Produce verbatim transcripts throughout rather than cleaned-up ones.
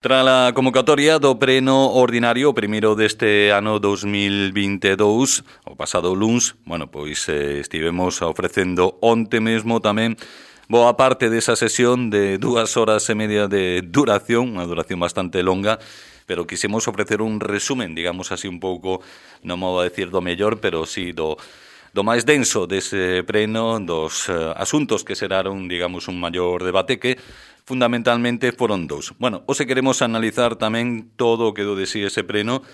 Tras a convocatoria do pleno ordinario, o primeiro deste ano dos mil vinte e dous, o pasado luns, bueno, pois eh, estivemos ofrecendo onte mesmo tamén boa parte desa sesión de dúas horas e media de duración, unha duración bastante longa, pero quisemos ofrecer un resumen, digamos así un pouco, non modo a decir do mellor, pero sí do, do máis denso dese pleno, dos eh, asuntos que xeraron, digamos, un maior debate que fundamentalmente foron dous. Bueno, hoxe queremos analizar tamén todo o que do de si ese pleno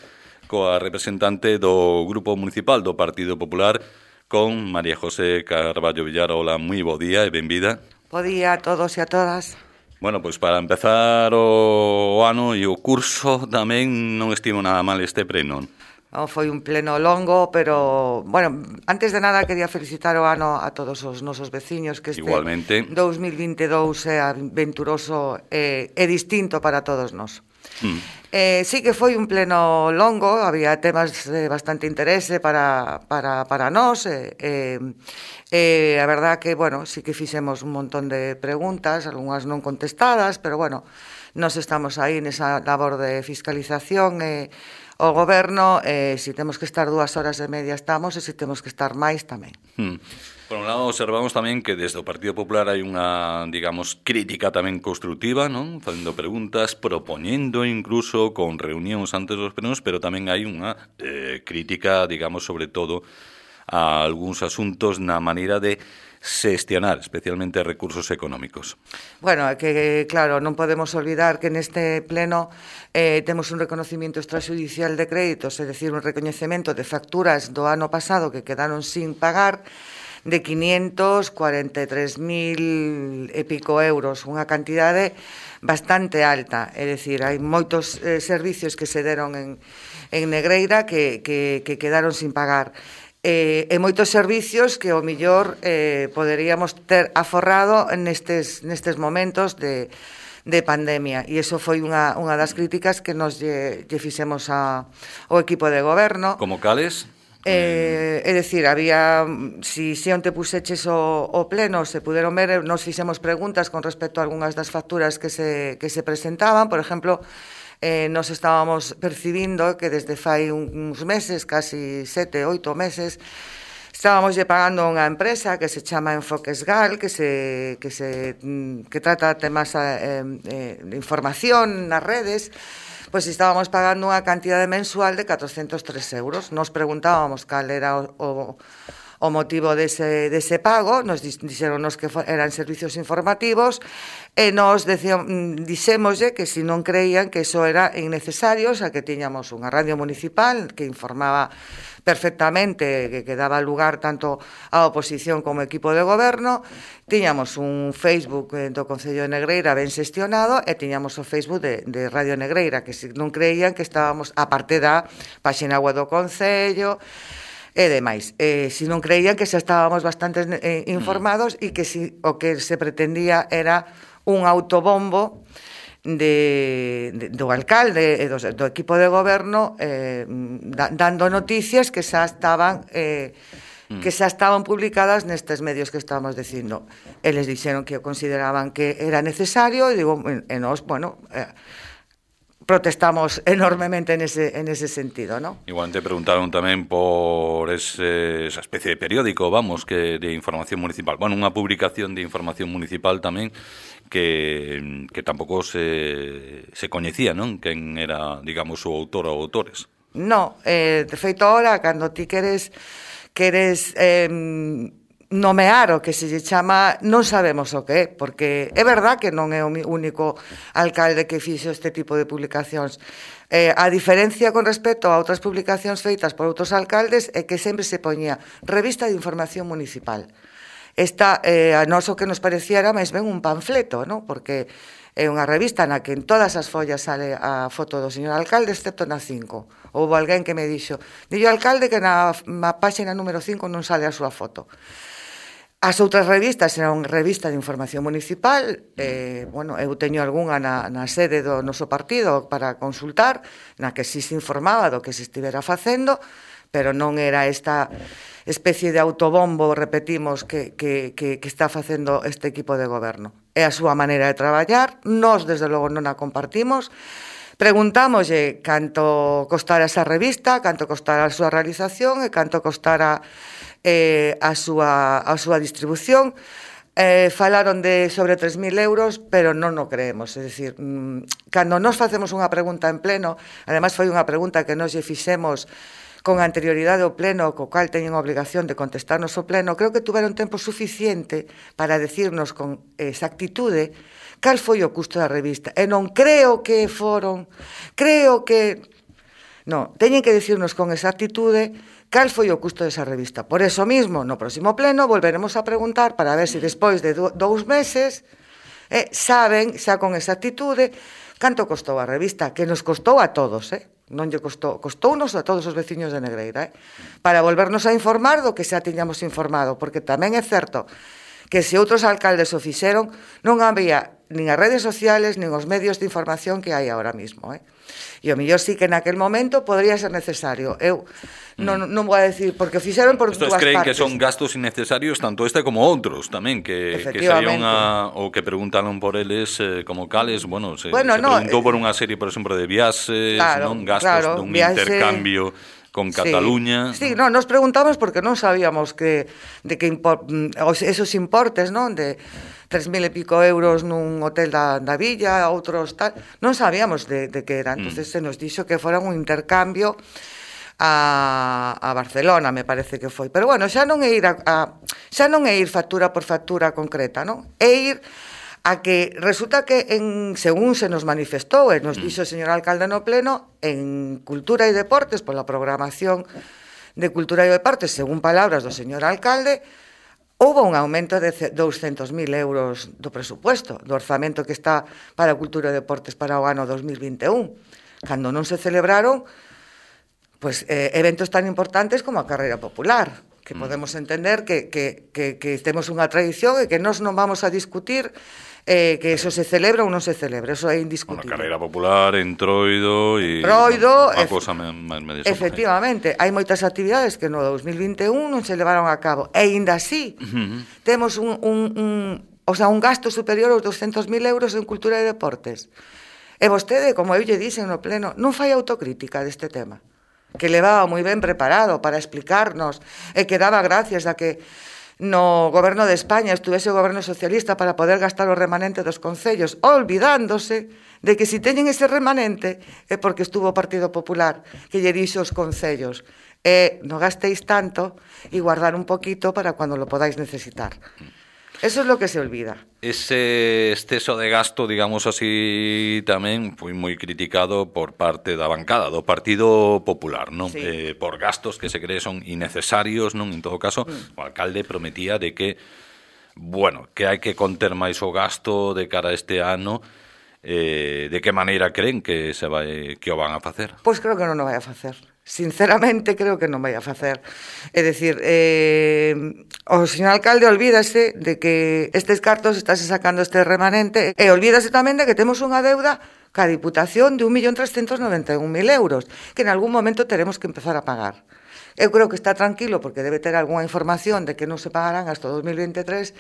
coa representante do Grupo Municipal do Partido Popular, con María José Carballo Villar. Hola, moi bo día e benvida. Bo día a todos e a todas. Bueno, pois para empezar o ano e o curso tamén non estivo nada mal este pleno. Non foi un pleno longo, pero, bueno, antes de nada quería felicitar o ano a todos os nosos veciños, que este Igualmente. dous mil vinte e dous é aventuroso e, e distinto para todos nós. Mm. Eh, sí que foi un pleno longo, había temas de bastante interese para, para, para nós, e, eh, eh, a verdad que, bueno, sí que fixemos un montón de preguntas, algunhas non contestadas, pero, bueno, nós estamos aí nesa labor de fiscalización e o goberno, eh, se temos que estar dúas horas e media estamos, e se temos que estar máis tamén. Hmm. Por un lado, observamos tamén que desde o Partido Popular hai unha, digamos, crítica tamén constructiva, non? Facendo preguntas, propoñendo incluso con reunións antes dos plenos, pero tamén hai unha eh, crítica, digamos, sobre todo a algúns asuntos na maneira de xestionar, especialmente recursos económicos. Bueno, que claro, non podemos olvidar que neste pleno eh, temos un reconocimiento extrajudicial de créditos, é dicir, un recoñecemento de facturas do ano pasado que quedaron sin pagar de quinientos cuarenta e tres mil e pico euros, unha cantidade bastante alta, é dicir, hai moitos eh, servicios que se deron en, en Negreira que, que, que quedaron sin pagar. Eh, e moitos servicios que o millor eh, poderíamos ter aforrado nestes, nestes momentos de, de pandemia, e iso foi unha, unha das críticas que nos lle, lle fixemos a, ao equipo de goberno. Como cales? Eh, é dicir, había, si, si onte puseches o, o pleno, se puderon ver, nos fixemos preguntas con respecto a algunhas das facturas que se, que se presentaban. Por exemplo, Eh, nos estábamos percibindo que desde fai uns meses, casi sete, oito meses, estábamos lle pagando a unha empresa que se chama Enfoquesgal, que se que se que trata temas eh, eh, de información nas redes. Pois estábamos pagando unha cantidade mensual de catrocentos tres euros. Nos preguntábamos cal era o, o o motivo dese, dese pago, nos dixeronnos que eran servicios informativos, e nos dixémoslle que se non creían que iso era innecesario, xa que tiñamos unha radio municipal que informaba perfectamente, que, que daba lugar tanto á oposición como ao equipo de goberno, tiñamos un Facebook do Concello de Negreira ben xestionado, e tiñamos o Facebook de, de Radio Negreira, que se non creían que estábamos, a parte da páxina web do Concello e demais. Eh, se non creían que xa estábamos bastante eh, informados e que si, o que se pretendía era un autobombo de, de, do alcalde e do, do equipo de goberno eh, da, dando noticias que xa estaban eh, que xa estaban publicadas nestes medios que estábamos dicindo. Eles dixeron que consideraban que era necesario, e digo, e nós, bueno, eh, protestamos enormemente en ese, en ese sentido, ¿no? Igual te preguntaron tamén por ese, esa especie de periódico, vamos, que de información municipal. Bueno, unha publicación de información municipal tamén que, que tampouco se, se coñecía, non? Quen era, digamos, o autor ou autores. No, eh, de feito, ahora, cando ti queres, queres eh, nomear o que se lle chama, non sabemos o que é, porque é verdad que non é o único alcalde que fixo este tipo de publicacións. Eh, a diferencia con respecto a outras publicacións feitas por outros alcaldes é que sempre se poñía Revista de Información Municipal. Esta, eh, a nós o que nos parecía era máis ben un panfleto, ¿no? Porque é unha revista na que en todas as follas sale a foto do señor alcalde, excepto na cinco. Houve alguén que me dixo, dillo alcalde que na, na páxina número cinco non sale a súa foto. As outras revistas eran revista de información municipal, eh, bueno, eu teño algunha na, na sede do noso partido para consultar, na que si se informaba do que se estivera facendo, pero non era esta especie de autobombo, repetimos, que, que, que, que está facendo este equipo de goberno. é a súa maneira de traballar, nós, desde logo, non a compartimos. Preguntámoslle canto costara esa revista, canto costara a súa realización e canto costara eh, a, súa, a súa distribución. Eh, falaron de sobre tres mil euros, pero non o creemos. É dicir, mmm, cando nos facemos unha pregunta en pleno, ademais foi unha pregunta que nos lle fixemos con anterioridade ao pleno, co cual teñen a obligación de contestarnos ao pleno, creo que tuveron tempo suficiente para decirnos con exactitude cal foi o custo da revista. E non creo que foron, creo que... Non, teñen que decirnos con exactitude cal foi o custo desa revista. Por eso mismo, no próximo pleno, volveremos a preguntar para ver se despois de do, dous meses eh, saben, xa con exactitude, canto costou a revista, que nos costou a todos, eh? Non lle costou, costounos a todos os veciños de Negreira, eh? Para volvernos a informar do que xa tiñamos informado, porque tamén é certo que se outros alcaldes o fixeron, non había nin as redes sociales, nin os medios de información que hai ahora mismo, eh? E o mellor sí que naquel momento podría ser necesario. Eu non, non vou a decir, porque o fixeron por Estos dúas creen partes. Que son gastos innecesarios tanto este como outros tamén, que, que serían a, o que preguntaron por eles eh, como cales, bueno, se, bueno, se no, preguntou eh, por unha serie, por exemplo, de viaxes, claro, non gastos claro, dun viaxe... intercambio con Cataluña. Sí, sí, no, nos preguntamos porque non sabíamos que de que impor, esos importes, non, de tres mil e pico euros nun hotel da, da villa, outros tal, non sabíamos de, de que era. Entonces mm. se nos dixo que fora un intercambio a, a Barcelona, me parece que foi. Pero bueno, xa non é ir a, a xa non é ir factura por factura concreta, non? É ir a que resulta que, en, según se nos manifestou e nos dixo o señor alcalde no pleno, en Cultura e Deportes, pola programación de Cultura e Deportes, según palabras do señor alcalde, houve un aumento de douscentos mil euros do presupuesto, do orzamento que está para Cultura e Deportes para o ano dos mil vinte e un, cando non se celebraron pues, eh, eventos tan importantes como a carreira popular, que podemos entender que, que, que, que temos unha tradición e que nós non vamos a discutir eh, que eso se celebra ou non se celebra, eso é indiscutible. Bueno, carreira popular, entroido e Entroido, unha cosa máis media. Efectivamente, hai moitas actividades que no dos mil vinte e un non se levaron a cabo, e ainda así uh-huh. temos un, un, un, o sea, un gasto superior aos douscentos mil euros en Cultura e Deportes. E vostede, como eu lle dixen no pleno, non fai autocrítica deste tema, que levaba moi ben preparado para explicarnos e que daba gracias a que no goberno de España estuvese o goberno socialista para poder gastar o remanente dos concellos, olvidándose de que si teñen ese remanente é porque estuvo o Partido Popular, que lle dixo os concellos e non gastéis tanto e guardar un poquito para cando lo podáis necesitar. Eso es lo que se olvida. Ese exceso de gasto, digamos así, tamén foi moi criticado por parte da bancada do Partido Popular, non? Sí. Eh, por gastos que se cree son innecesarios, non? En todo caso, mm. o alcalde prometía de que, bueno, que hai que conter máis o gasto de cara a este ano. Eh, de que maneira creen que se vai que o van a facer? Pois creo que non o vai a facer. Sinceramente creo que non vai a facer. É dicir, eh, o señor alcalde olvídase de que estes cartos estáse sacando este remanente e olvídase tamén de que temos unha deuda ca Diputación de un millón trescentos noventa e un mil euros que en algún momento teremos que empezar a pagar. Eu creo que está tranquilo porque debe ter algunha información de que non se pagarán hasta dos mil veintitrés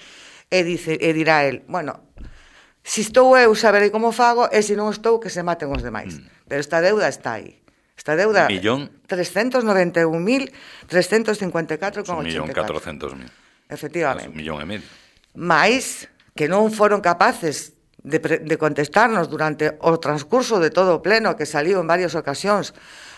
e, dice, e dirá el, bueno, si estou eu saberei como fago e se non estou que se maten os demais. Mm. Pero esta deuda está aí. Esta deuda, millón trescentos noventa e un mil trescentos cincuenta e catro con oitenta e catro. Un millón catrocentos mil. Efectivamente. Un millón e medio. Mais que non foron capaces de, de contestarnos durante o transcurso de todo o pleno, que saliu en varias ocasións,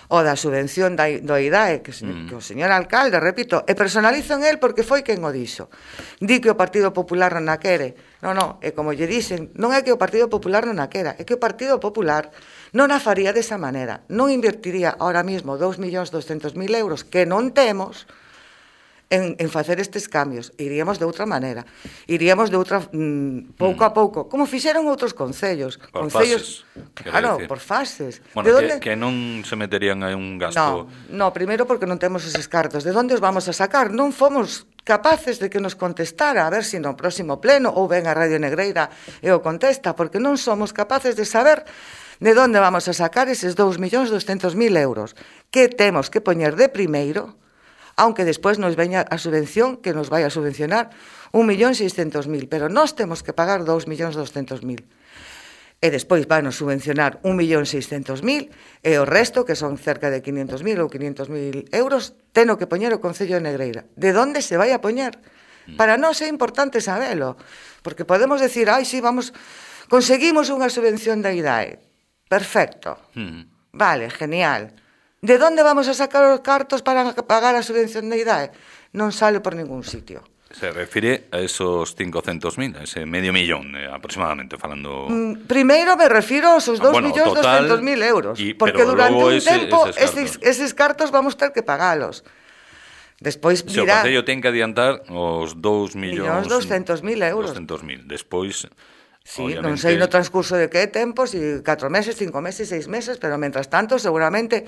o da subvención da, do I D A E, que, mm. que o señor alcalde, repito, e personalizo en el porque foi quen o dixo. Di que o Partido Popular non a quere. Non, non, e como lle dicen, non é que o Partido Popular non a quera, é que o Partido Popular non a faría desa maneira, non invertiría ahora mismo dous millóns doscentos mil euros que non temos en, en facer estes cambios. Iríamos de outra maneira, iríamos de outra mmm, pouco mm. a pouco, como fixeron outros concellos. Por concellos, fases. Claro, por fases. Bueno, que, que non se meterían aí un gasto... No, no, primeiro porque non temos eses cartos. De onde os vamos a sacar? Non fomos capaces de que nos contestara, a ver se no próximo pleno ou ven a Radio Negreira e o contesta, porque non somos capaces de saber de onde vamos a sacar eses dous millóns doscentos mil euros que temos que poñer de primeiro aunque despois nos veña a subvención que nos vai a subvencionar un millón seiscentos mil, pero nós temos que pagar dous millóns doscentos mil. E despois van a subvencionar un millón seiscentos mil e o resto, que son cerca de quinhentos mil ou quinhentos mil euros, teno que poñer o Concello de Negreira. De onde se vai a poñer? Para nós é importante sabelo, porque podemos decir, ai, sí, vamos, conseguimos unha subvención da I D A E. Perfecto. Mm. Vale, genial. De onde vamos a sacar os cartos para pagar a subvención da I D A E? Non sale por ningún sitio. Se refire a esos cincocentos mil, a ese medio millón eh, aproximadamente, falando... Mm, primeiro me refiro aos dos bueno, millóns doscentos mil euros, y, porque durante un ese, tempo eses, eses cartos vamos ter que pagalos. Despois dirá... Se o Concello ten que adiantar os dous millóns doscentos mil euros. doscentos mil. Despois... Sí, obviamente... non sei no transcurso de que tempo, si catro meses, cinco meses, seis meses, pero mentras tanto, seguramente...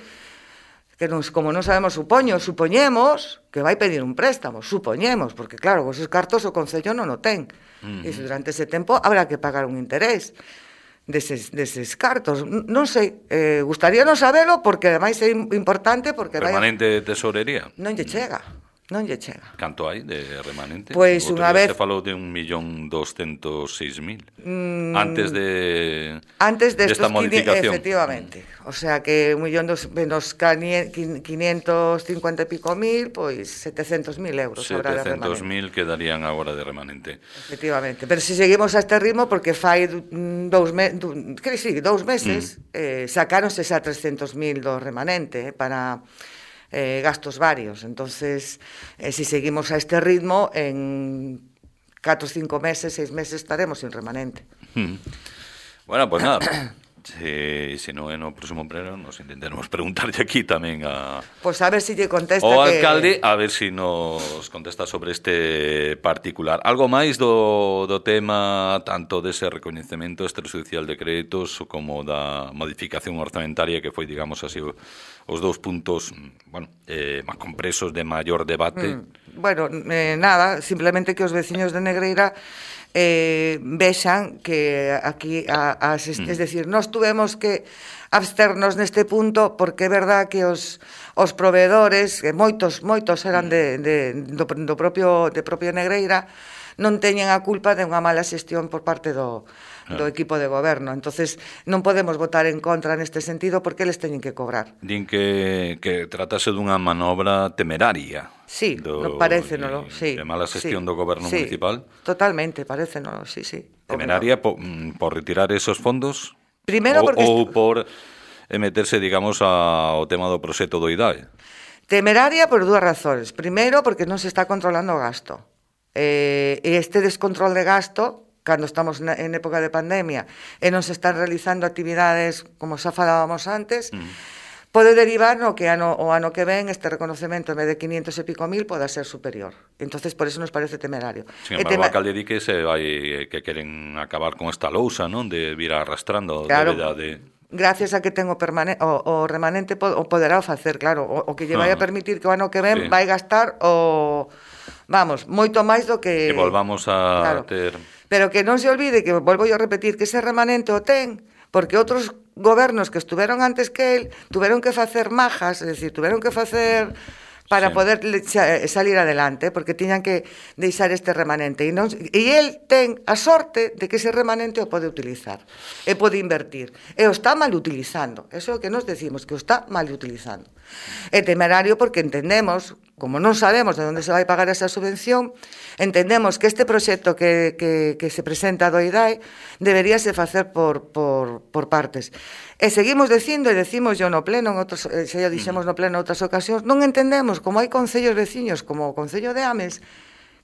que nos, como non sabemos, supoño, supoñemos que vai pedir un préstamo, supoñemos, porque claro, esos cartos o Concello non o ten. Uh -huh. E durante ese tempo habrá que pagar un interés deses, deses cartos. Non sei, eh, gustaríanos sabelo, porque ademais é importante, porque... Permanente vai a... tesorería? Non lle chega. Non lle chega. Canto hai de remanente? Pois unha vez... Se falou de un millón doscentos seis mil. Mm... Antes de... Antes de esta modificación. Efectivamente. O sea que un millón dos, menos quinientos cincuenta e pico mil, pois setecentos mil euros habrá de remanente. setecentos mil quedarían agora de remanente. Efectivamente. Pero se seguimos a este ritmo, porque fai dous, me, que sí, dous meses, mm. eh, sacáronse xa trescentos mil do remanente eh, para... Eh, gastos varios. Entonces, eh, si seguimos a este ritmo, en catro, cinco meses, seis meses estaremos sin remanente. Hmm. Bueno, pues nada. Se, se non é no próximo pleno, nos intentaremos preguntarlle aquí tamén a... Pois pues a ver se si lle contesta o que... alcalde, a ver se si nos contesta sobre este particular. Algo máis do, do tema tanto dese recoñecemento extrajudicial de créditos como da modificación orzamentaria, que foi, digamos así, os dous puntos, bueno, eh, máis compresos de maior debate. Mm, bueno, eh, nada, simplemente que os veciños de Negreira eh, vexan que aquí a, a, es, mm. es decir, nós tuvemos que absternos neste punto porque é verdad que os, os proveedores, que moitos moitos eran de, de, do, do propio de propio Negreira, non teñen a culpa de unha mala xestión por parte do do equipo de goberno. Entonces non podemos votar en contra neste sentido porque eles teñen que cobrar. Din que, que tratase dunha manobra temeraria. Sí, do, no, parécenolo, sí. De mala xestión sí, do goberno sí, municipal. Totalmente, parécenolo, sí, sí. Temeraria por, por retirar esos fondos? Primeiro porque... Ou por meterse, digamos, ao tema do proxecto do I D A E? Temeraria por dúas razóns. Primeiro porque non se está controlando o gasto. Eh, e este descontrol de gasto, cando estamos en época de pandemia e non se están realizando actividades como xa falábamos antes, mm. pode derivar no que ano, o ano que ven este reconocemento en vez de quinientos e pico mil poda ser superior. Entonces por eso nos parece temerario. Sin embargo, tema... a alcalde di que se vai, que queren acabar con esta lousa, non, de vir arrastrando claro, débeda de... Gracias a que ten o, permane... o, o remanente o poderá o facer, claro, o, o que lle vai a permitir que o ano que ven sí. vai gastar o... Vamos, moito máis do que... Que volvamos a claro. ter... Pero que non se olvide, que volvo yo a repetir, que ese remanente o ten, porque outros gobernos que estuveron antes que él tuveron que facer majas, es decir, tuveron que facer para sí. poder salir adelante, porque tiñan que deixar este remanente. E, non, e el ten a sorte de que ese remanente o pode utilizar, e pode invertir. E o está mal utilizando. Eso é o que nos decimos, que o está mal utilizando. É temerario porque entendemos, como non sabemos de onde se vai pagar esa subvención, entendemos que este proxecto que, que, que se presenta do I D A E deberíase facer por, por, por partes. E seguimos dicindo, e decimos yo no pleno, en outros, se yo dixemos no pleno en outras ocasións, non entendemos como hai concellos veciños como o Concello de Ames,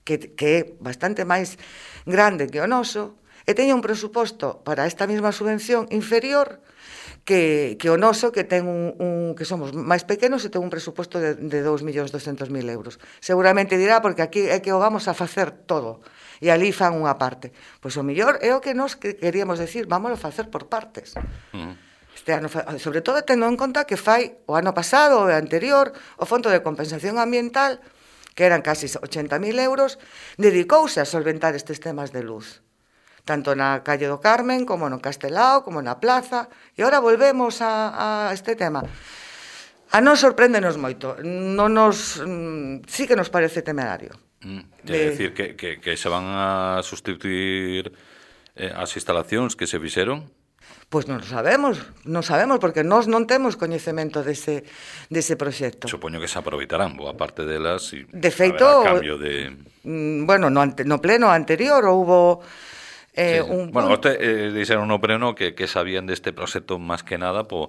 que, que é bastante máis grande que o noso, e teña un presuposto para esta mesma subvención inferior que, que o noso, que ten un, un que somos máis pequenos e ten un presuposto de, de dous millóns doscentos mil euros. Seguramente dirá, porque aquí é que o vamos a facer todo, e ali fan unha parte. Pois o mellor é o que nos queríamos decir, vamos a facer por partes. Uh -huh. Este ano, sobre todo tendo en conta que fai o ano pasado, o anterior, o Fondo de Compensación Ambiental, que eran casi ochenta mil euros, dedicouse a solventar estes temas de luz. Tanto na calle do Carmen, como no Castelao, como na Plaza, e agora volvemos a, a este tema. A nos sorpréndenos moito. Non nos, sí que nos parece temerario. Mm, de... É dicir, que, que, que se van a sustituir eh, as instalacións que se fixeron? Pois non sabemos, non sabemos, porque nós non temos coñecemento dese, dese proxecto. Supoño que se aproveitarán boa parte delas e de feito, haberá cambio de... Bueno, no, ante, no pleno anterior houbo... Eh, sí, sí. un... Bueno, usted eh, dixeron no pleno que, que sabían deste proxecto máis que nada por,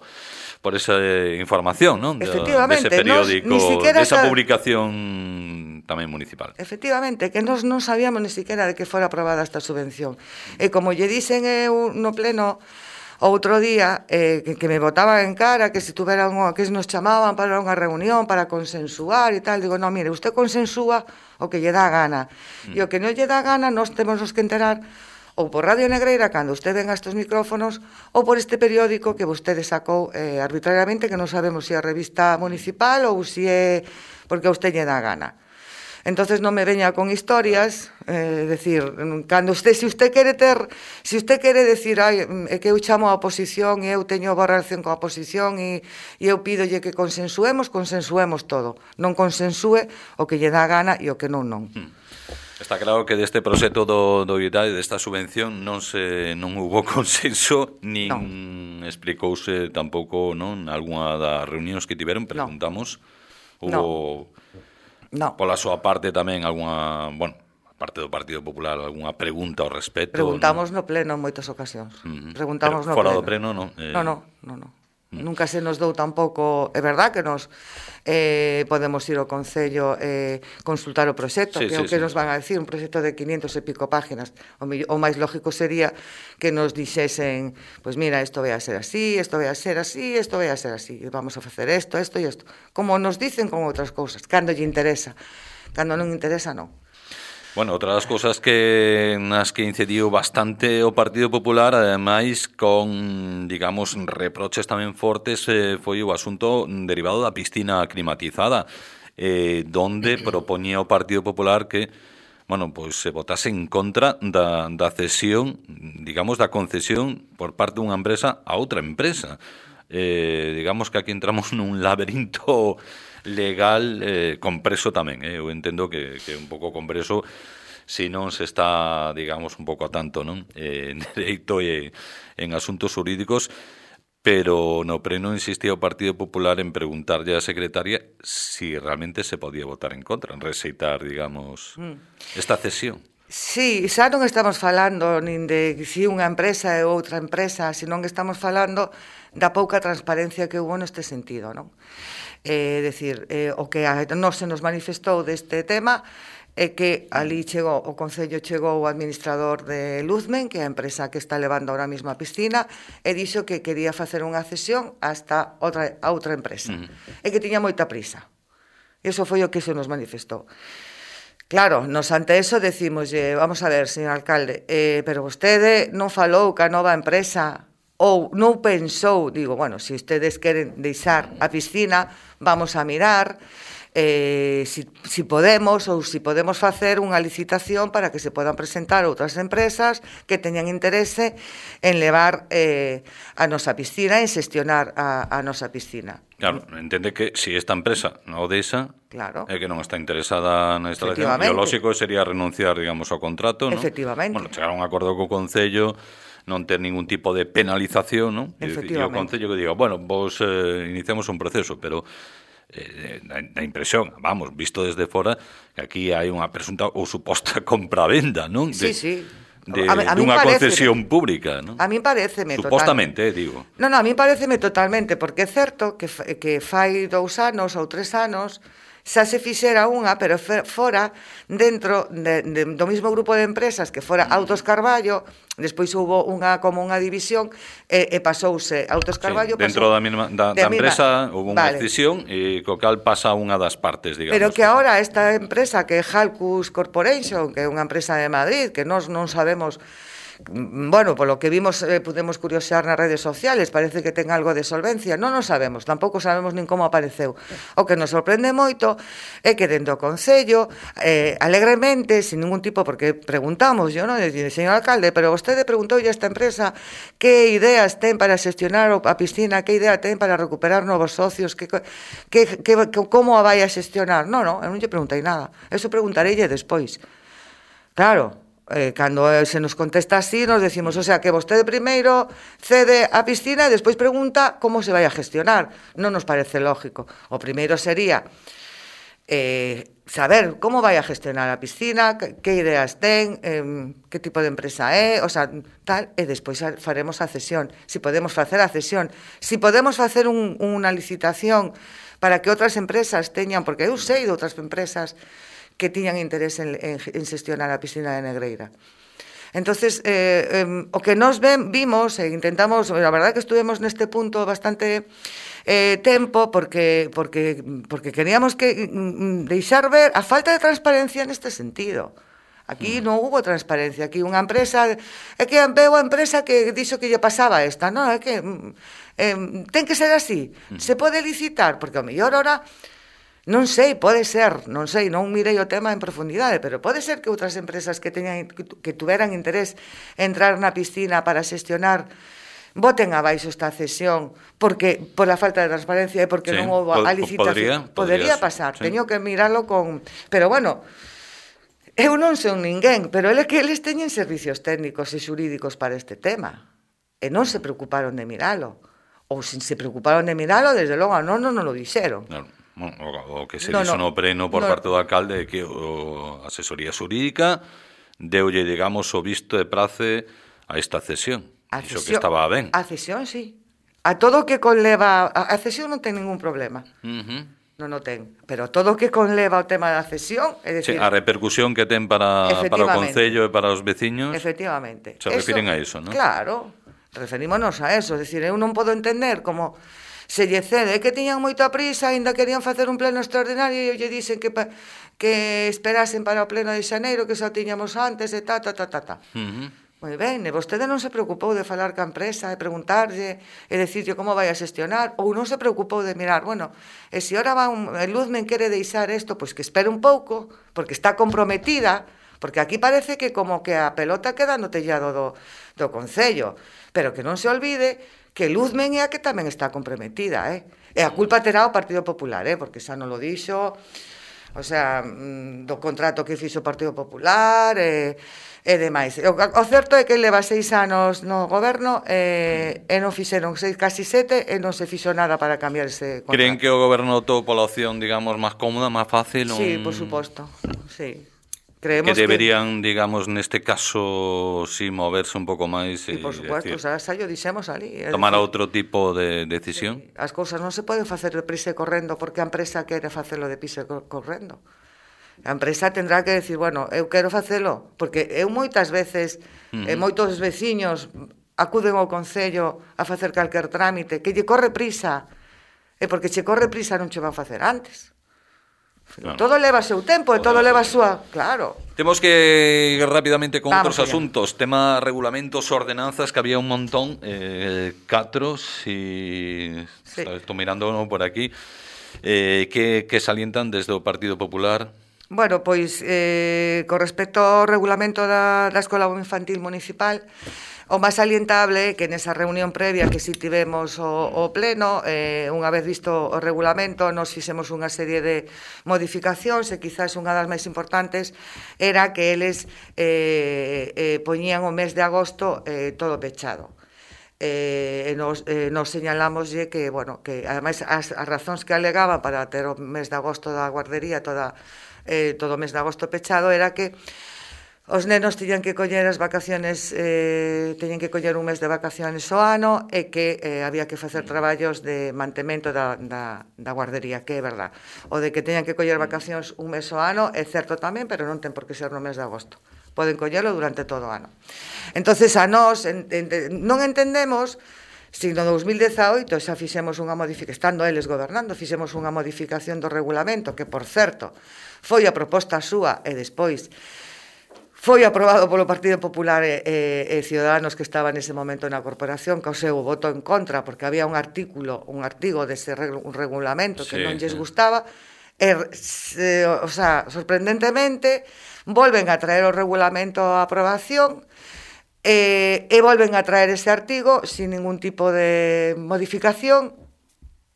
por esa eh, información, non? Efectivamente. Dese periódico, nos, desa sa... publicación tamén municipal. Efectivamente, que nos non sabíamos ni siquiera de que fora aprobada esta subvención. E como lle dicen eh, no pleno outro día, eh, que, que me botaban en cara que se tuvera un, que nos chamaban para unha reunión para consensuar e tal, digo, no, mire, usted consensúa o que lle dá gana, mm. e o que non lle dá gana nos temos que enterar ou por Radio Negreira, cando usted venga a estes micrófonos, ou por este periódico que vostede sacou eh, arbitrariamente, que non sabemos se é a revista municipal ou se é porque a usted lle dá gana. Entonces non me veña con historias, eh, decir, cando usted, se usted quere ter, se usted quere decir, ai, é que eu chamo a oposición e eu teño boa relación coa oposición e, e eu pídolle que consensuemos, consensuemos todo. Non consensúe o que lle dá gana e o que non, non. Hmm. Está claro que deste proxecto do, do I D A E, desta subvención, non se non hubo consenso, nin no. explicouse tampouco, non, algunha das reunións que tiveron, preguntamos, no. hubo... No. No. Pola súa parte tamén algunha, bueno, parte do Partido Popular, algunha pregunta ao respecto. Preguntamos no, no pleno en moitas ocasións. Uh-huh. Preguntamos Pero no fora pleno. do pleno, non? Eh... No, no, no, no. Uh-huh. Nunca se nos dou tampouco, é verdad que nos eh, podemos ir ao Concello eh, consultar o proxecto, sí, que é sí, o que sí. nos van a decir, un proxecto de quinientas e pico páginas. O, o máis lógico sería que nos dixesen, pois pues mira, isto vai a ser así, isto vai a ser así, isto vai a ser así, vamos a facer isto, isto e isto. Como nos dicen con outras cousas, cando lle interesa. Cando non interesa, non. Bueno, outra das cousas que nas que incidiu bastante o Partido Popular, ademais con, digamos, reproches tamén fortes, eh, foi o asunto derivado da piscina climatizada, eh, donde propoñía o Partido Popular que, bueno, pois se votase en contra da, da cesión, digamos, da concesión por parte dunha empresa a outra empresa. Eh, digamos que aquí entramos nun laberinto legal eh, compreso tamén, eh? Eu entendo que, que é un pouco compreso se non se está, digamos, un pouco a tanto, non? Eh, en dereito e en asuntos jurídicos, pero no pleno insistía o Partido Popular en preguntarlle á secretaria si realmente se podía votar en contra, en rexeitar, digamos, esta cesión. Sí, xa non estamos falando nin de si unha empresa é outra empresa, senón que estamos falando da pouca transparencia que hubo neste sentido, non? É dicir, eh, o que a nos se nos manifestou deste tema é que ali chegou, o Concello chegou o administrador de Luzmen, que é a empresa que está levando ahora mesmo a piscina, e dixo que quería facer unha cesión hasta outra, a outra empresa, uh-huh. e que tiña moita prisa. Iso foi o que se nos manifestou. Claro, nos ante eso decimos, eh, vamos a ver, señor alcalde, eh, pero vostede non falou ca nova empresa ou non pensou, digo, bueno, se ustedes queren deixar a piscina, vamos a mirar eh, si, si podemos ou si podemos facer unha licitación para que se podan presentar outras empresas que teñan interese en levar eh, a nosa piscina, en xestionar a, a nosa piscina. Claro, entende que se si esta empresa non o deixa, claro, é que non está interesada na instalación, e o lógico sería renunciar, digamos, ao contrato, non? Efectivamente. Bueno, chegar a un acordo co Concello, non ter ningún tipo de penalización, non? E o Concello que diga, bueno, vos eh, iniciamos un proceso, pero eh, a impresión, vamos, visto desde fora, que aquí hai unha presunta ou suposta compra-venda, non? De, sí, sí. De, a, a dunha concesión pública, non? A mí pareceme supostamente, eh, digo. Non, non, a mí pareceme totalmente, porque é certo que, que fai dous anos ou tres anos xa se fixera unha, pero fora dentro de, de, do mismo grupo de empresas que fora Autos Carballo, despois houbo unha como unha división e, e pasouse Autos Carballo, sí, dentro pasou, da, misma, da, da empresa houve unha vale. decisión e co cal pasa unha das partes, digamos. Pero que agora esta empresa que é Halcus Corporation, que é unha empresa de Madrid, que nós non sabemos bueno, polo que vimos, eh, pudemos curiosear nas redes sociales, parece que ten algo de solvencia, non o sabemos, tampouco sabemos nin como apareceu. O que nos sorprende moito é que dentro do Concello, eh, alegremente, sin ningún tipo, porque preguntamos, yo, non, señor alcalde, pero vostede preguntoulle a esta empresa que ideas ten para xestionar a piscina, que idea ten para recuperar novos socios, que, que, que, que como a vai a xestionar. Non, non, eu non lle preguntei nada, eso preguntareille despois. Claro, eh, cando se nos contesta así, nos decimos, o sea, que vostede primeiro cede a piscina e despois pregunta como se vai a gestionar. Non nos parece lógico. O primeiro sería eh, saber como vai a gestionar a piscina, que, que ideas ten, eh, que tipo de empresa é, o sea, tal, e despois faremos a cesión. Si podemos facer a cesión, si podemos facer un, unha licitación para que outras empresas teñan, porque eu sei de outras empresas que tiñan interés en, en, en xestionar a piscina de Negreira. Entonces, eh, eh, o que nos ven, vimos e intentamos, a verdade que estuvemos neste punto bastante eh, tempo porque, porque, porque queríamos que mm, deixar ver a falta de transparencia neste sentido. Aquí non hubo transparencia, aquí unha empresa, é que veo a empresa que dixo que lle pasaba esta, non, é que eh, ten que ser así, se pode licitar, porque ao mellor ora non sei, pode ser, non sei, non mirei o tema en profundidade, pero pode ser que outras empresas que teñan que tuveran interés en entrar na piscina para xestionar voten abaixo esta cesión porque por a falta de transparencia e porque sí, non houve a licitación. Podría, podría pasar, sí. Teño que miralo con... Pero bueno, eu non son ninguén, pero é que eles teñen servicios técnicos e xurídicos para este tema e non se preocuparon de miralo. Ou se se preocuparon de miralo, desde logo non, non, non lo dixeron. Claro. Bueno, o que se no, dixo no, no pleno por no. parte do alcalde é que a asesoría xurídica deulle, digamos, o visto de prace a esta cesión. A Iso cesión, que estaba ben. A cesión, sí. A todo o que conleva... A cesión non ten ningún problema. Uh-huh. Non o ten. Pero todo o que conleva o tema da cesión... É decir, sí, a repercusión que ten para, para o Concello e para os veciños... Efectivamente. Se refiren eso, a iso, non? Claro. Referímonos a eso. É dicir, eu non podo entender como... se lle cede, que tiñan moita prisa, ainda querían facer un pleno extraordinario e lle dicen que, que esperasen para o pleno de xaneiro, que xa tiñamos antes, e ta, ta, ta, ta, ta. Uh-huh. Moi ben, e vostede non se preocupou de falar ca empresa e preguntarlle e decirlle como vai a xestionar, ou non se preocupou de mirar, bueno, e se ora va un, el Luzmen quere deixar isto, pois que espere un pouco, porque está comprometida, porque aquí parece que como que a pelota queda no tellado do, do Concello, pero que non se olvide que Luzmen é a que tamén está comprometida, eh? E a culpa terá o Partido Popular, eh? Porque xa non lo dixo, o sea, do contrato que fixo o Partido Popular, e, e demais. O, o certo é que leva seis anos no goberno e, e non fixeron seis, casi sete, e non se fixo nada para cambiar ese contrato. Creen que o goberno optou pola opción, digamos, máis cómoda, máis fácil? Sí, un... por suposto, sí. Creemos que deberían, que... digamos, neste caso, si sí, moverse un pouco máis e, por supuesto, decir, xa, xa yo dixemos ali. Tomar decir, outro tipo de decisión. Sí, as cousas non se poden facer de prisa e correndo porque a empresa quere facelo de prisa e correndo. A empresa tendrá que decir, bueno, eu quero facelo, porque eu moitas veces, uh-huh. e moitos veciños acuden ao Concello a facer calquer trámite, que lle corre prisa, e porque che corre prisa non che van facer antes. Claro. Todo leva seu tempo e todo leva a súa... Claro. Temos que ir rápidamente con Vamos outros allá. asuntos. Tema regulamentos, ordenanzas, que había un montón. Eh, catro, si... Sí. Estou mirando uno por aquí. Eh, que, que salientan desde o Partido Popular? Bueno, pois, eh, con respecto ao regulamento da, da Escola Infantil Municipal... O máis salientable é que nesa reunión previa que si tivemos o, o pleno, eh, unha vez visto o regulamento, nos fixemos unha serie de modificacións e quizás unha das máis importantes era que eles eh, eh, poñían o mes de agosto eh, todo pechado. Eh, e nos, eh, nos señalámoslle que, bueno, que ademais as, as razóns que alegaban para ter o mes de agosto da guardería toda, eh, todo o mes de agosto pechado era que os nenos tiñan que coller as vacaciones, eh, teñen que coller un mes de vacaciones ao ano e que eh, había que facer traballos de mantemento da, da, da guardería, que é verdad. O de que teñan que coller vacacións un mes ao ano é certo tamén, pero non ten por que ser no mes de agosto. Poden collelo durante todo o ano. Entonces, a nós en, en, non entendemos si no dous mil dezaoito xa fixemos unha modificación, estando eles gobernando, fixemos unha modificación do regulamento, que, por certo, foi a proposta súa e despois foi aprobado polo Partido Popular e, e, e Ciudadanos que estaba nese momento na corporación, que o seu voto en contra, porque había un artículo, un artigo dese reg un regulamento que sí, non lles sí. gustaba, e, se, o sea, sorprendentemente, volven a traer o regulamento a aprobación e, e volven a traer ese artigo sin ningún tipo de modificación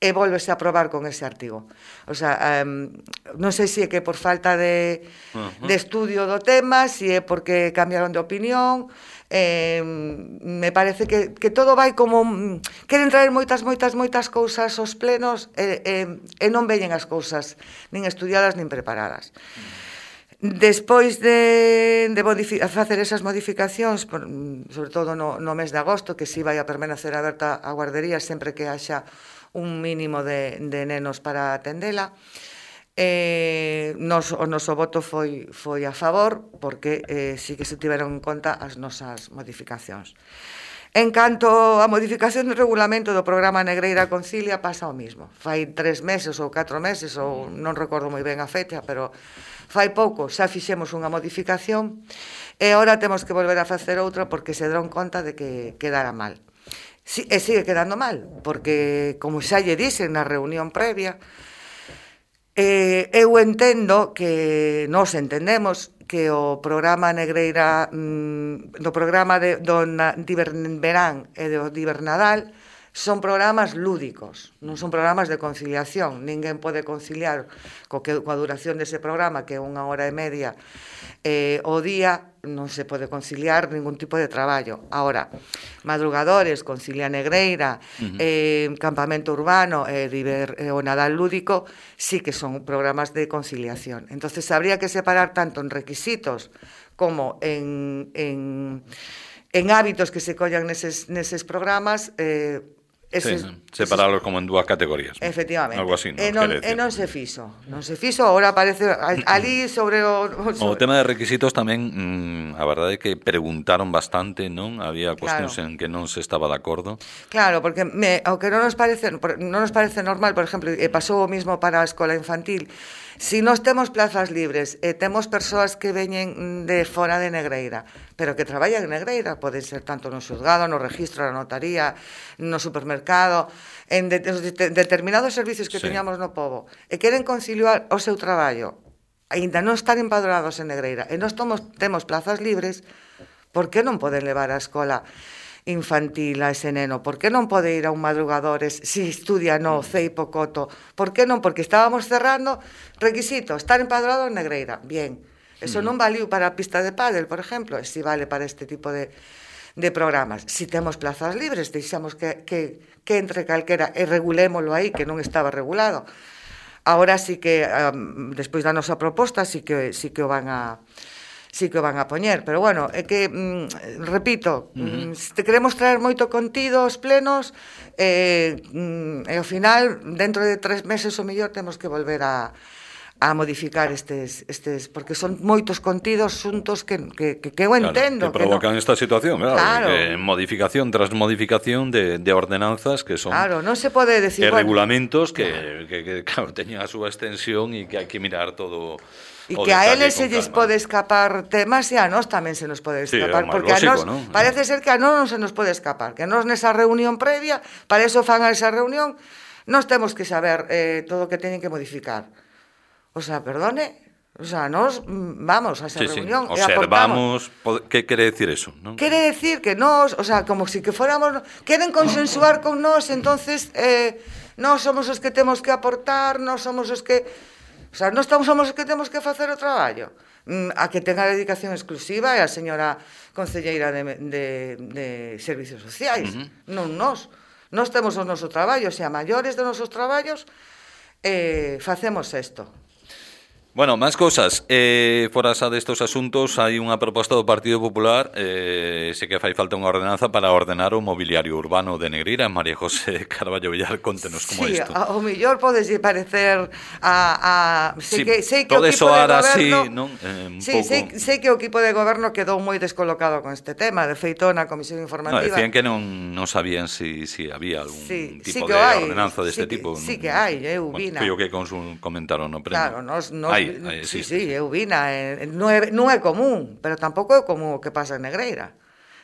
e volvese a aprobar con ese artigo. O sea, um, non sei se é que por falta de, uh-huh. de estudio do tema, se é porque cambiaron de opinión, eh, me parece que, que todo vai como... Queren traer moitas, moitas, moitas cousas aos plenos e, e, e non veñen as cousas nin estudiadas nin preparadas. Despois de, de facer esas modificacións, sobre todo no, no mes de agosto, que si vai a permanecer aberta a guardería sempre que haxa un mínimo de, de nenos para atendela, eh, nos, o noso voto foi, foi a favor, porque eh, sí que se tiveron en conta as nosas modificacións. En canto a modificación do regulamento do programa Negreira Concilia, pasa o mismo. Fai tres meses ou catro meses, ou non recordo moi ben a fecha, pero fai pouco xa fixemos unha modificación e agora temos que volver a facer outra porque se deron conta de que quedara mal. Si, e sigue quedando mal, porque, como xa lle dixen na reunión previa, eh, eu entendo que nós entendemos que o programa Negreira, mm, do programa de, do na, Verán e do Divernadal son programas lúdicos, non son programas de conciliación. Ninguén pode conciliar co que, coa duración dese programa, que é unha hora e media eh, o día, non se pode conciliar ningún tipo de traballo. Ahora, madrugadores, Concilia Negreira, uh-huh. eh, campamento urbano e eh, eh, o Nadal lúdico, sí que son programas de conciliación. Entonces, habría que separar tanto en requisitos como en, en, en hábitos que se collan neses, neses programas, eh, Eses, sí, separalos como en dúas categorías. Efectivamente. Algo así, e, non, e non se fixo. Non se fixo, agora aparece ali sobre o... O, o tema de requisitos tamén, mmm, a verdade é que preguntaron bastante, non? Había cuestións claro. en que non se estaba de acordo. Claro, porque me, o que non nos parece non nos parece normal, por exemplo, e pasou o mismo para a escola infantil, si nós temos plazas libres e temos persoas que veñen de fora de Negreira, pero que traballan en Negreira, poden ser tanto no xuzgado, no registro, na notaría, no supermercado, en de, de, determinados servicios que sí. teñamos no pobo, e queren conciliar o seu traballo, aínda non estar empadronados en Negreira, e nós tomos, temos plazas libres, por que non poden levar a escola infantil a ese neno? Por que non pode ir a un madrugadores se estudia no Ceipo Coto? Por que non? Porque estábamos cerrando requisito, estar empadroado en Negreira. Bien, eso non valiu para a pista de pádel, por exemplo, e si vale para este tipo de, de programas. Si temos plazas libres, deixamos que, que, que entre calquera e regulémolo aí, que non estaba regulado. Ahora sí que, um, despois da nosa proposta, sí que, sí que o van a... sí que o van a poñer, pero bueno, é que, mm, repito, uh-huh. mm, te queremos traer moito contido aos plenos, eh, mm, e ao final, dentro de tres meses ou mellor, temos que volver a, a modificar estes, estes, porque son moitos contidos xuntos que, que, que, que eu entendo. Claro, que provocan que no... esta situación, claro, claro. Que modificación tras modificación de, de ordenanzas que son... Claro, non se pode decir... E bueno, regulamentos que, que, que, claro, teñen a súa extensión e que hai que mirar todo... E que a eles se lles pode escapar temas e a nós tamén se nos pode escapar, sí, porque lógico, a nós, ¿no? Parece ser que a nós non se nos pode escapar, que a nós nesa reunión previa, para eso fan a esa reunión, nós temos que saber eh, todo o que teñen que modificar. O sea, perdone, o sea, nós vamos a esa sí, reunión sí. e aportamos. ¿Qué quere decir eso? ¿No? Quere decir que nós, o sea, como si que fóramos, queren consensuar con nós, entonces eh, nós somos os que temos que aportar, nós somos os que... O sea, nós somos os que temos que facer o traballo. A que tenga dedicación exclusiva é a señora concelleira de, de, de Servicios Sociais, uh-huh. non nós. Nós temos o noso traballo, se a maiores de nosos traballos, eh, facemos isto. Bueno, máis cosas. Eh, fora xa destos asuntos, hai unha proposta do Partido Popular, eh, sei que fai falta unha ordenanza para ordenar o mobiliario urbano de Negreira. María José Carballo Villar, contenos como sí, isto. Sí, ao mellor podes parecer a... a sei sí, que, sei que pode o equipo soar de goberno, así, non? Eh, un sí, pouco... sei, sei que o equipo de goberno quedou moi descolocado con este tema. De feito, na comisión informativa... No, decían que non, non sabían si, si había algún sí, tipo sí de hai, ordenanza deste sí tipo. Que, sí que hai, eu bueno, vina. Foi o que comentaron no pleno. Claro, nos, nos hai, hai sí, existe. sí, eu vina, eh, non, é, non é común, pero tampouco é común o que pasa en Negreira.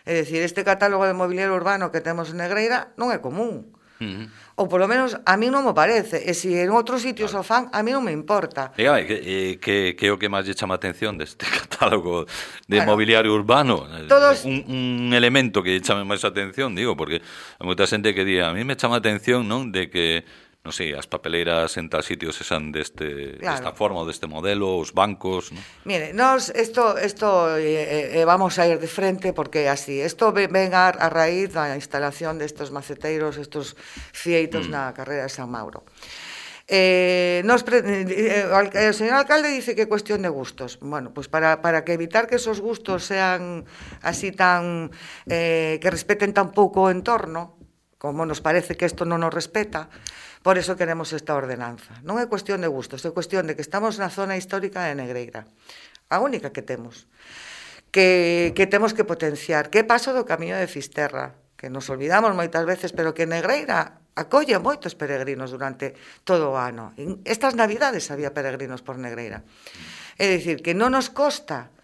É dicir, este catálogo de mobiliario urbano que temos en Negreira non é común. Uh-huh. Ou polo menos a mí non me parece. E se en outros sitios claro. o fan, a mí non me importa. Dígame, que, que, que é o que máis lle chama a atención deste catálogo de bueno, mobiliario urbano? Todos... Un, un elemento que lle chame máis a atención, digo, porque hai moita xente que di, a mí me chama a atención, non, de que non sei, as papeleiras en tal sitio se san deste, claro. desta forma, deste modelo, os bancos, ¿no? Mire, nos, esto, esto eh, eh, vamos a ir de frente porque así, esto ven a, a raíz da instalación destes maceteiros, estos fieitos mm. na carrera de San Mauro. Eh, nos pre, eh, el señor alcalde dice que é cuestión de gustos. Bueno, pues para, para que evitar que esos gustos sean así tan, eh, que respeten tan pouco o entorno, como nos parece que isto non nos respeta, por eso queremos esta ordenanza. Non é cuestión de gustos, é cuestión de que estamos na zona histórica de Negreira, a única que temos, que, que temos que potenciar, que paso do camiño de Fisterra, que nos olvidamos moitas veces, pero que Negreira acolle moitos peregrinos durante todo o ano. Estas navidades había peregrinos por Negreira. É dicir, que non nos costa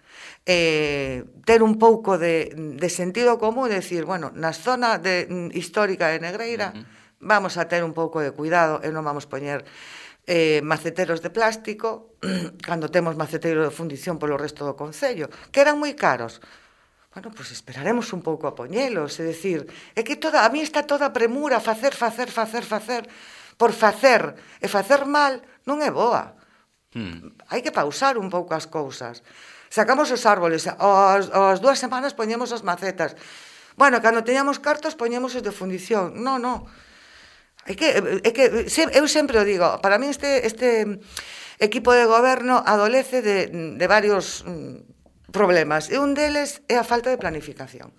eh, ter un pouco de, de sentido común, decir, bueno, na zona de, histórica de Negreira, uh-huh. vamos a ter un pouco de cuidado e non vamos poñer eh, maceteros de plástico cando temos maceteiro de fundición polo resto do concello, que eran moi caros. Bueno, pois pues esperaremos un pouco a poñelos, é dicir, é que toda, a mí está toda premura, facer, facer, facer, facer, por facer, e facer mal non é boa. Hmm. Hai que pausar un pouco as cousas. Sacamos os árboles, as, as dúas semanas poñemos as macetas. Bueno, cando teñamos cartos poñemos os de fundición. Non, non. É que, é que eu sempre o digo, para mí este, este equipo de goberno adolece de, de varios problemas, e un deles é a falta de planificación.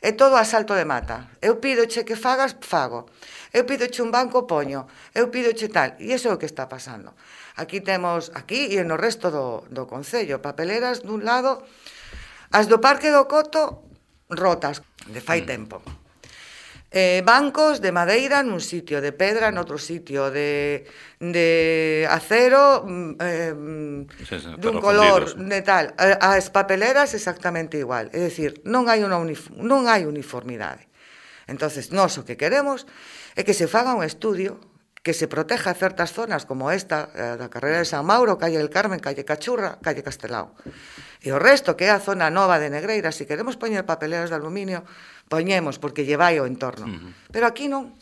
É todo a salto de mata. Eu pídoche que fagas, fago. Eu pídoche un banco, poño. Eu pídoche tal. E iso é o que está pasando. Aquí temos, aquí e no resto do, do concello, papeleras dun lado, as do Parque do Coto rotas, de fai mm. tempo. Eh, bancos de madeira nun sitio, de pedra noutro sitio, de, de acero eh, sí, sí, dun color fundidos. De tal, as papeleras exactamente igual, é dicir, non hai unha unif- non hai uniformidade. Entonces, nós o que queremos é que se faga un estudio que se proteja certas zonas como esta, da carrera de San Mauro, calle del Carmen, calle Cachurra, calle Castelao. E o resto, que é a zona nova de Negreira, se queremos poñer papeleras de aluminio, poñemos, porque llevai o entorno. Uh-huh. Pero aquí non.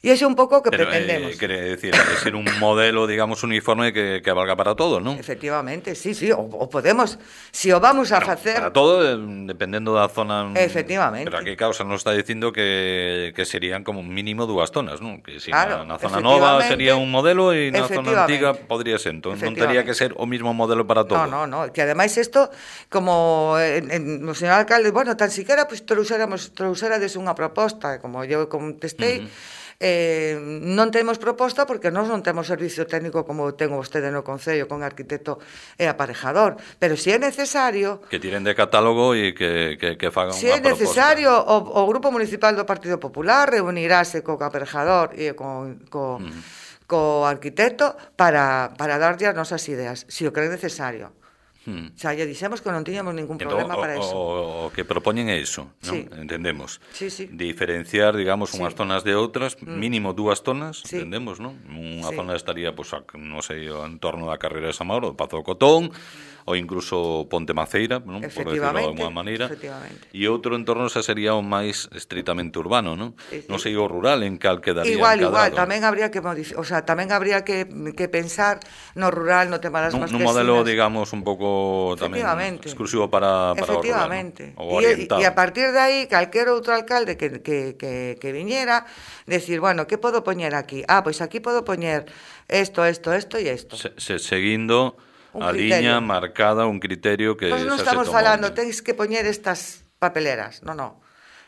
E ese é un pouco o que Pero, pretendemos. Eh, quere decir, que ser un modelo, digamos, uniforme que, que valga para todo, non? Efectivamente, sí, sí, o, o podemos, si o vamos a bueno, facer... Para todo, eh, dependendo da zona... Efectivamente. Pero aquí causa nos está dicindo que, que serían como mínimo dúas zonas, non? Que si claro, na, na zona nova sería un modelo e na zona antiga podría ser. Entón, non teria que ser o mismo modelo para todo. No, no, no, que ademais isto, como en, en, o señor alcalde, bueno, tan siquiera pues, trouxéramos, trouxérades unha proposta, como eu contestei, uh-huh. Eh, non temos proposta porque nós non temos servicio técnico como ten vostede no Concello con arquitecto e aparejador, pero se si é necesario que tiren de catálogo e que, que, que fagan si unha proposta. Se é necesario o, o Grupo Municipal do Partido Popular reunirase co aparejador e con, co, uh-huh. co arquitecto para, para darlle as nosas ideas, se si o cree necesario. Hmm. Xa lle dixemos que non tiñamos ningún problema entón, para o, eso. O, o que propoñen é iso, non? Sí. Entendemos. Sí, sí. Diferenciar, digamos, sí. unhas zonas de outras, mm. mínimo dúas zonas, sí. entendemos, non? Unha sí. zona estaría, pois, pues, non sei, en torno da carreira de San Mauro, do Pazo do Cotón, ou incluso Ponte Maceira, non? Por decirlo de alguma maneira. E outro entorno xa sería o máis estritamente urbano, non? Sí, sí. Non sei o rural en cal quedaría igual, encadrado. Igual, tamén habría que modificar, o sea, tamén habría que, que pensar no rural, no tema das masquesinas. Nun modelo, digamos, un pouco tamén exclusivo para, para o rural, ¿no? O orientado. E a partir de aí, calquer outro alcalde que, que, que, que viñera, decir, bueno, que podo poñer aquí? Ah, pois aquí podo poñer esto, esto, esto e esto. Se, se, seguindo a liña marcada, un criterio que... Nós non estamos falando, tens que poñer estas papeleras, non, non.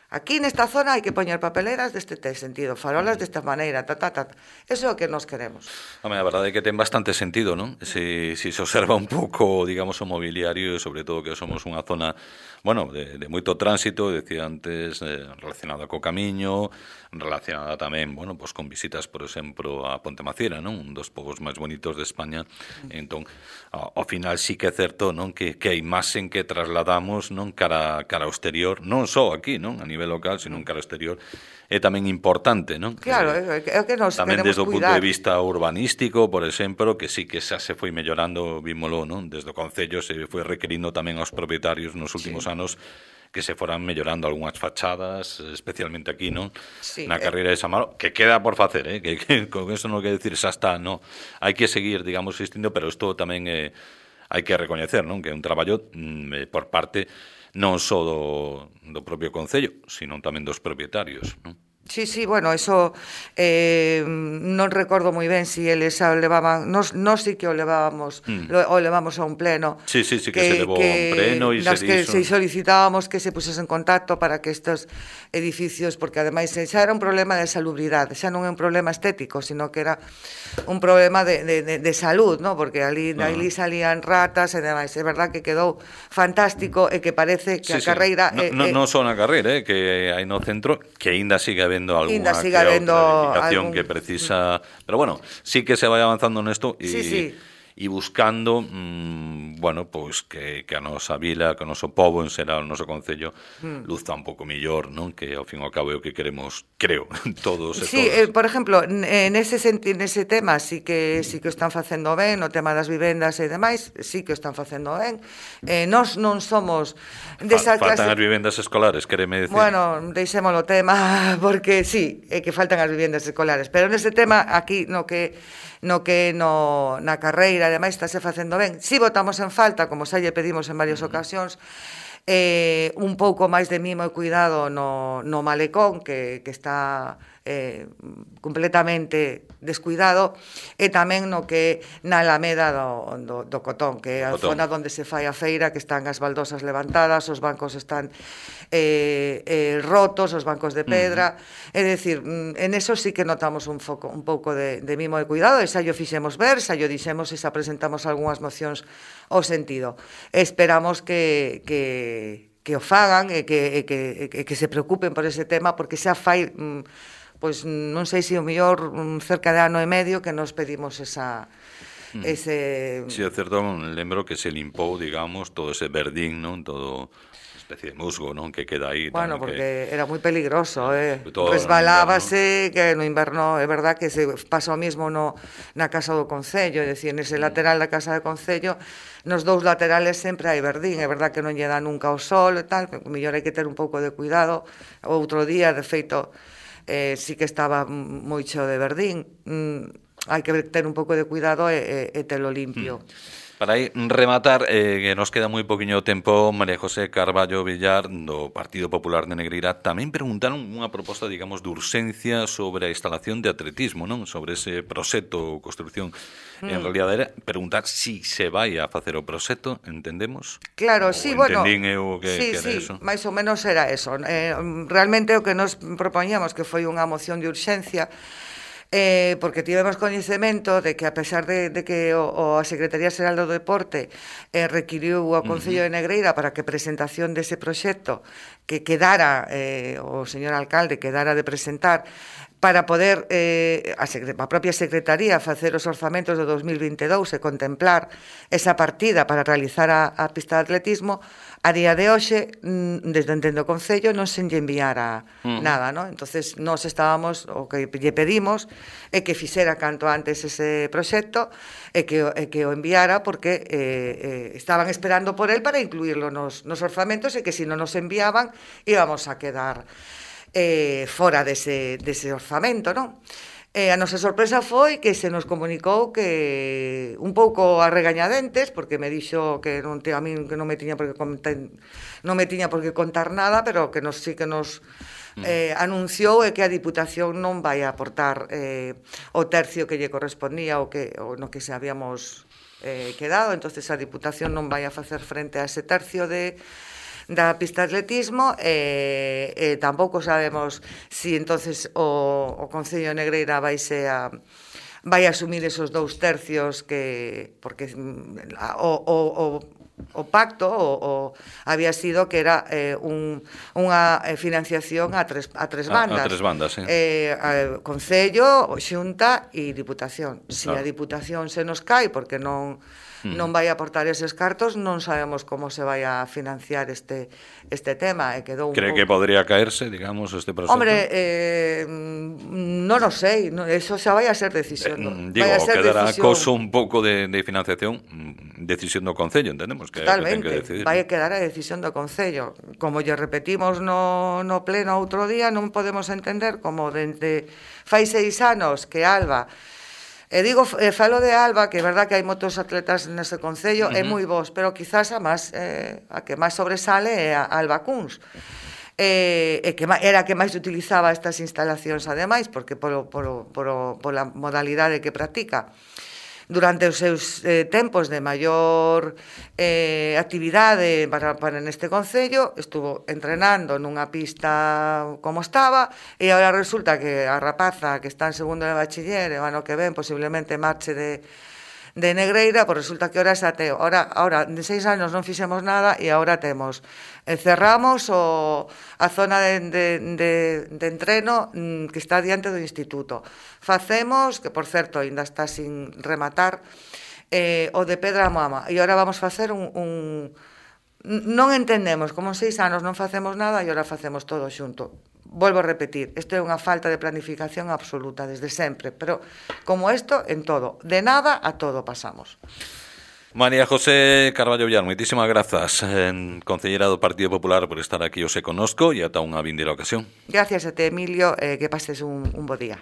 Aquí nesta zona hai que poñer papeleras deste sentido, farolas desta maneira, ta, ta, ta. Eso é o que nos queremos. Home, a verdade é que ten bastante sentido, non? Se, se se observa un pouco, digamos, o mobiliario, e sobre todo que somos unha zona, bueno, de, de moito tránsito, decía antes, eh, relacionada co camiño, relacionada tamén, bueno, pues con visitas, por exemplo, a Ponte Maciera, non? Un dos povos máis bonitos de España. Entón, ao, ao final sí que é certo, non? Que, que a imaxen que trasladamos, non? Cara, cara ao exterior, non só aquí, non? A nivel local, sino cara ao exterior, é tamén importante, non? Claro, é que, que nos tamén queremos desde o punto cuidar. de vista urbanístico, por exemplo, que sí que xa se foi mellorando, vímolo, non? Desde o Concello se foi requerindo tamén aos propietarios nos últimos sí. anos que se foran mellorando algunhas fachadas, especialmente aquí, non? Sí, na eh... carreira de Samaro, que queda por facer, eh? que, que con eso non quer decir xa está, non. Hai que seguir, digamos, existindo, pero isto tamén eh, hai que recoñecer, non? Que é un traballo mm, por parte non só do, do propio Concello, sino tamén dos propietarios, non? Sí, sí, bueno, eso eh, non recordo moi ben si eles xa o levaban, nos, nos sí que o levábamos mm. lo, o levamos a un pleno. Sí, sí, sí, que, que se levou que, a un pleno e nas se que dixo. se solicitábamos que se pusese en contacto para que estes edificios, porque ademais xa era un problema de salubridade, xa non é un problema estético, sino que era un problema de, de, de, de salud, ¿no? Porque ali, uh-huh. ali salían ratas e demais. É verdad que quedou fantástico e que parece que sí, a carreira... Sí. No, eh, no, non só na carreira, eh, que hai no centro, que aínda sigue habendo alguna sigue habendo edificación algún... que precisa... Pero bueno, sí que se vai avanzando nesto e... Sí, sí. e buscando, mmm, bueno, pois que, que a nosa vila, que o noso pobo en xeral, o noso concello, mm. luzta un pouco mellor, non? Que ao fin e ao cabo é o que queremos, creo, todos e sí, todas. Eh, por exemplo, nese, nese tema sí que sí que o están facendo ben, no tema das vivendas e demais, sí que o están facendo ben. Eh, nós non somos desa Fa, faltan clase... as vivendas escolares, quereme decir. Bueno, deixémolo tema, porque sí, é que faltan as vivendas escolares, pero nese tema aquí no que no que no, na carreira, ademais, estáse facendo ben. Si votamos en falta, como xa lle pedimos en varias ocasións, eh, un pouco máis de mimo e cuidado no, no malecón, que, que está eh, completamente descuidado, e tamén no que na Alameda do, do, do Cotón, que é a Cotón. Zona onde se fai a feira, que están as baldosas levantadas, os bancos están eh, eh, rotos, os bancos de pedra, uh-huh. é dicir, en eso sí que notamos un, foco, un pouco de, de mimo e cuidado, e xa yo fixemos ver, xa yo dixemos e xa presentamos algunhas mocións ao sentido. Esperamos que, que, que o fagan e que, e que, e que se preocupen por ese tema, porque xa fai... pois non sei se o mellor cerca de ano e medio que nos pedimos esa ese... Si, é certo, lembro que se limpou, digamos, todo ese verdín, non? Todo especie de musgo, non? Que queda aí. Bueno, porque que... era moi peligroso, eh? Resbalábase, no que no inverno, é verdad que se pasa o mismo no, na casa do Concello, é dicir, nese lateral da casa do Concello, nos dous laterales sempre hai verdín, é verdad que non lle dá nunca o sol e tal, o mellor hai que ter un pouco de cuidado. Outro día, de feito, Eh, sí que estaba moi cheo de verdín, mm, hai que ter un pouco de cuidado e, e, e telo limpio. Mm. Para aí rematar, eh, que nos queda moi poquinho tempo, María José Carballo Villar, do Partido Popular de Negreira, tamén preguntaron unha proposta, digamos, de urxencia sobre a instalación de atletismo, non? Sobre ese proxecto, construcción. Mm. En realidad era preguntar si se vai a facer o proxecto, entendemos? Claro, sí, bueno, entendín eu que, sí, que era sí, eso. máis ou menos era eso. Eh, realmente o que nos propoñamos que foi unha moción de urxencia, Eh, porque tivemos coñecemento de que a pesar de, de que o, o a Secretaría Xeral do Deporte eh, requiriu ao Concello de Negreira para que presentación dese proxecto que quedara, eh, o señor alcalde quedara de presentar para poder eh, a, a propia Secretaría facer os orzamentos do dos mil vinte e dous e contemplar esa partida para realizar a, a pista de atletismo, a día de hoxe, desde entendo o Concello, non se lle enviara uh-huh. nada, ¿no? Entonces, nós estábamos, o que lle pedimos é que fixera canto antes ese proxecto e que, e que o enviara porque eh, eh, estaban esperando por él para incluirlo nos, nos orzamentos e que se non nos enviaban íbamos a quedar eh, fora dese, dese orzamento, non? E a nosa sorpresa foi que se nos comunicou que un pouco a regañadentes, porque me dixo que non te, a mí que non me tiña por que contar, non me tiña por que contar nada, pero que nos sí que nos eh, anunciou e que a Diputación non vai a aportar eh, o tercio que lle correspondía o que o no que se habíamos eh, quedado, entonces a Diputación non vai a facer frente a ese tercio de da pista de atletismo e, e tampouco sabemos si entonces o, o Concello de Negreira vaise a vai asumir esos dous tercios que porque o, o, o o pacto o, o había sido que era eh, un, unha financiación a tres, a tres bandas. A, a tres bandas, sí. Eh, a, Concello, Xunta e Diputación. Se si claro. a Diputación se nos cai porque non non vai aportar eses cartos, non sabemos como se vai a financiar este este tema. E quedou un Cree pouco... que podría caerse, digamos, este proxecto? Hombre, eh, non o sei, no, eso xa vai a ser decisión. Eh, digo, vai a ser quedará decisión... coso un pouco de, de financiación, decisión do Concello, entendemos que, Totalmente, que ten que decidir. vai a quedar a decisión do Concello. Como lle repetimos no, no pleno outro día, non podemos entender como dende fai seis anos que Alba... E digo, eh, falo de Alba, que é verdad que hai moitos atletas nese Concello, uh -huh. é moi bons, pero quizás a máis, eh, a que máis sobresale é a Alba Cuns. E, e que era a que máis utilizaba estas instalacións ademais, porque polo, polo, polo, pola modalidade que practica. Durante os seus eh, tempos de maior eh, actividade para, para neste Concello, estuvo entrenando nunha pista como estaba, e agora resulta que a rapaza que está en segundo de bachiller, e o ano que ven posiblemente marche de, de Negreira, pois resulta que ahora xa te, ahora, ahora de seis anos non fixemos nada e agora temos, eh, cerramos o, a zona de, de, de, de entreno mm, que está diante do instituto. Facemos, que por certo ainda está sin rematar, eh, o de Pedra Mama, e agora vamos facer un, un... Non entendemos como en seis anos non facemos nada e agora facemos todo xunto. Volvo a repetir, isto é unha falta de planificación absoluta desde sempre, pero como isto, en todo, de nada a todo pasamos. María José Carballo Villar, moitísimas grazas, en concellera do Partido Popular, por estar aquí, os e conosco, e ata unha vindeira ocasión. Gracias a te, Emilio, eh, que pases un, un bo día.